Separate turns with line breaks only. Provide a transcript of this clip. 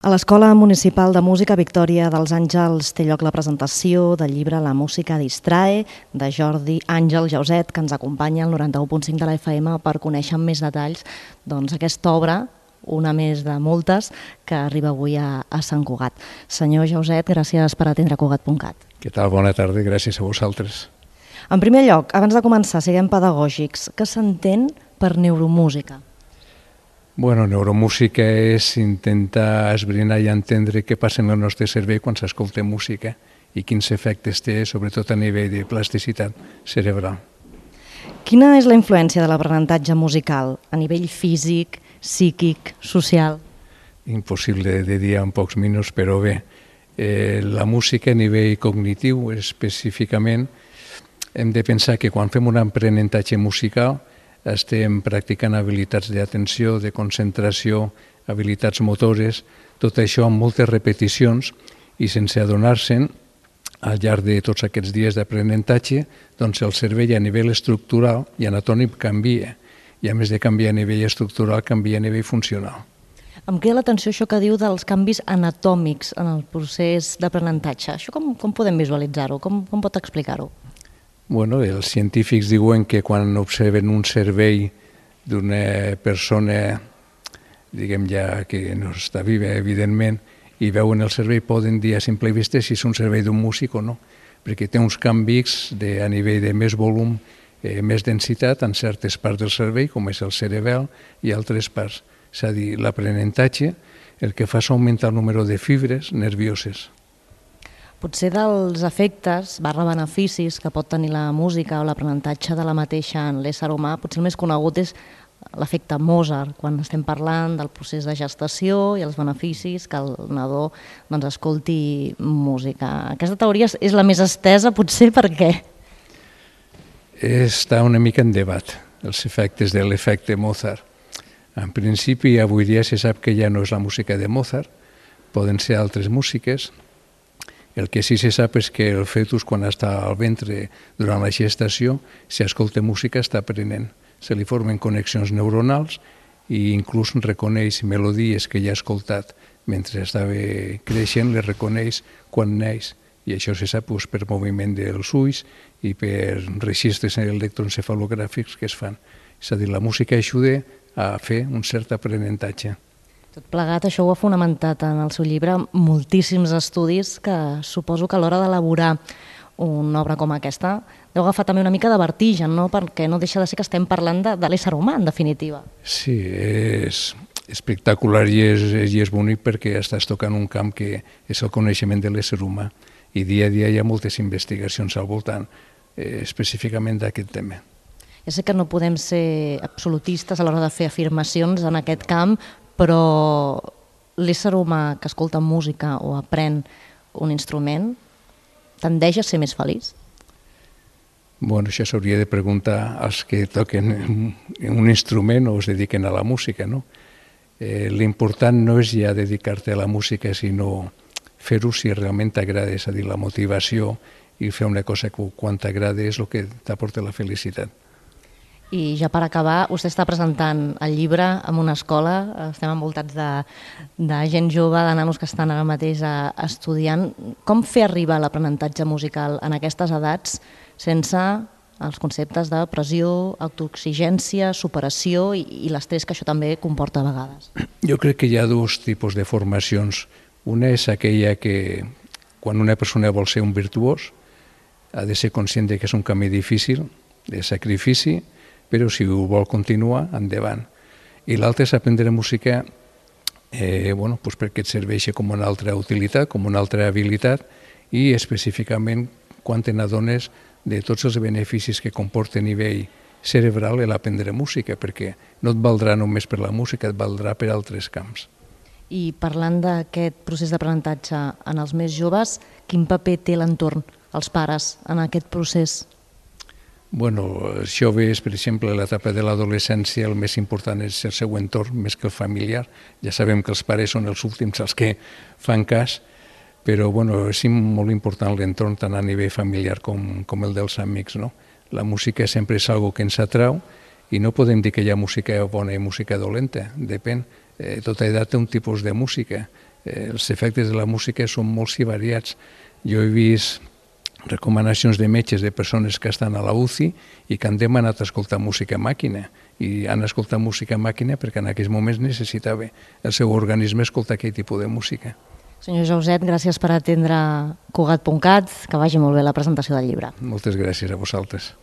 A l'Escola Municipal de Música Victòria dels Àngels té lloc la presentació del llibre La música distrae, de Jordi Àngel Jauset, que ens acompanya al 91.5 de la FM per conèixer amb més detalls aquesta obra, una més de moltes, que arriba avui a Sant Cugat. Senyor Jauset, gràcies per atendre Cugat.cat.
Què tal? Bona tarda, gràcies a vosaltres.
En primer lloc, abans de començar, siguem pedagògics. Què s'entén per neuromúsica?
Bueno, neuromúsica és intentar esbrinar i entendre què passa en el nostre cervell quan s'escolta música i quins efectes té, sobretot a nivell de plasticitat cerebral.
Quina és la influència de l'aprenentatge musical a nivell físic, psíquic, social?
Impossible de dir en pocs minuts, però bé, la música a nivell cognitiu específicament hem de pensar que quan fem un aprenentatge musical estem practicant habilitats d'atenció, de concentració, habilitats motores, tot això amb moltes repeticions i sense adonar-se'n, al llarg de tots aquests dies d'aprenentatge, doncs el cervell a nivell estructural i anatòmic canvia, i a més de canviar a nivell estructural, canvia a nivell funcional.
Em crida l'atenció això que diu dels canvis anatòmics en el procés d'aprenentatge. Això com podem visualitzar-ho? Com pot explicar-ho?
Bueno, els científics diuen que quan observen un cervell d'una persona, diguem ja que no està viva, evidentment, i veuen el cervell, poden dir a simple vista si és un cervell d'un músic o no, perquè té uns canvis a nivell de més volum, més densitat en certes parts del cervell, com és el cerebel, i altres parts. És a dir, l'aprenentatge el que fa és augmentar el número de fibres nervioses.
Potser dels efectes /beneficis que pot tenir la música o l'aprenentatge de la mateixa en l'ésser humà, potser el més conegut és l'efecte Mozart, quan estem parlant del procés de gestació i els beneficis que el nadó escolti música. Aquesta teoria és la més estesa, potser per què?
Està una mica en debat, els efectes de l'efecte Mozart. En principi, avui dia se sap que ja no és la música de Mozart, poden ser altres músiques. El que sí se sap és que el fetus, quan està al ventre durant la gestació, si escolta música està aprenent. Se li formen connexions neuronals i inclús reconeix melodies que ja ha escoltat mentre estava creixent, les reconeix quan neix. I això se sap per moviment dels ulls i per registres electroencefalogràfics que es fan. És a dir, la música ajuda a fer un cert aprenentatge.
Tot plegat, això ho ha fonamentat en el seu llibre moltíssims estudis que suposo que a l'hora d'elaborar una obra com aquesta deu agafar també una mica de vertigen, no? Perquè no deixa de ser que estem parlant de l'ésser humà, en definitiva.
Sí, és espectacular i és bonic perquè estàs tocant un camp que és el coneixement de l'ésser humà i dia a dia hi ha moltes investigacions al voltant específicament d'aquest tema.
Ja sé que no podem ser absolutistes a l'hora de fer afirmacions en aquest camp, però l'ésser humà que escolta música o aprèn un instrument tendeix a ser més feliç?
Bueno, això s'hauria de preguntar als que toquen un instrument o es dediquen a la música, no? L'important no és ja dedicar-te a la música, sinó fer-ho si realment t'agrada, és a dir, la motivació i fer una cosa que quan t'agrada és el que t'aporta la felicitat.
I ja per acabar, vostè està presentant el llibre en una escola, estem envoltats de gent jove, de nanos que estan ara mateix estudiant. Com fer arribar l'aprenentatge musical en aquestes edats sense els conceptes de pressió, autoexigència, superació i l'estrès que això també comporta a vegades?
Jo crec que hi ha dos tipus de formacions. Una és aquella que quan una persona vol ser un virtuós ha de ser conscient que és un camí difícil, de sacrifici, però si ho vol continuar, endavant. I l'altre és aprendre música perquè et serveix com una altra utilitat, com una altra habilitat, i específicament quan te n'adones de tots els beneficis que comporta a nivell cerebral l'aprendre música, perquè no et valdrà només per la música, et valdrà per altres camps.
I parlant d'aquest procés d'aprenentatge en els més joves, quin paper té l'entorn, els pares, en aquest procés?
Bueno, els joves, per exemple, a l'etapa de l'adolescència el més important és el seu entorn, més que el familiar. Ja sabem que els pares són els últims els que fan cas, però és molt important l'entorn tant a nivell familiar com el dels amics, no? La música sempre és algo que ens atrau i no podem dir que hi ha música bona i música dolenta, depèn. Tota edat té un tipus de música els efectes de la música són molts i variats. Jo he vist recomanacions de metges de persones que estan a la UCI i que han demanat escoltar música a màquina, i han escoltat música a màquina perquè en aquells moments necessitava el seu organisme escoltar aquell tipus de música.
Senyor Jauset, gràcies per atendre Cugat.cat, que vagi molt bé la presentació del llibre.
Moltes gràcies a vosaltres.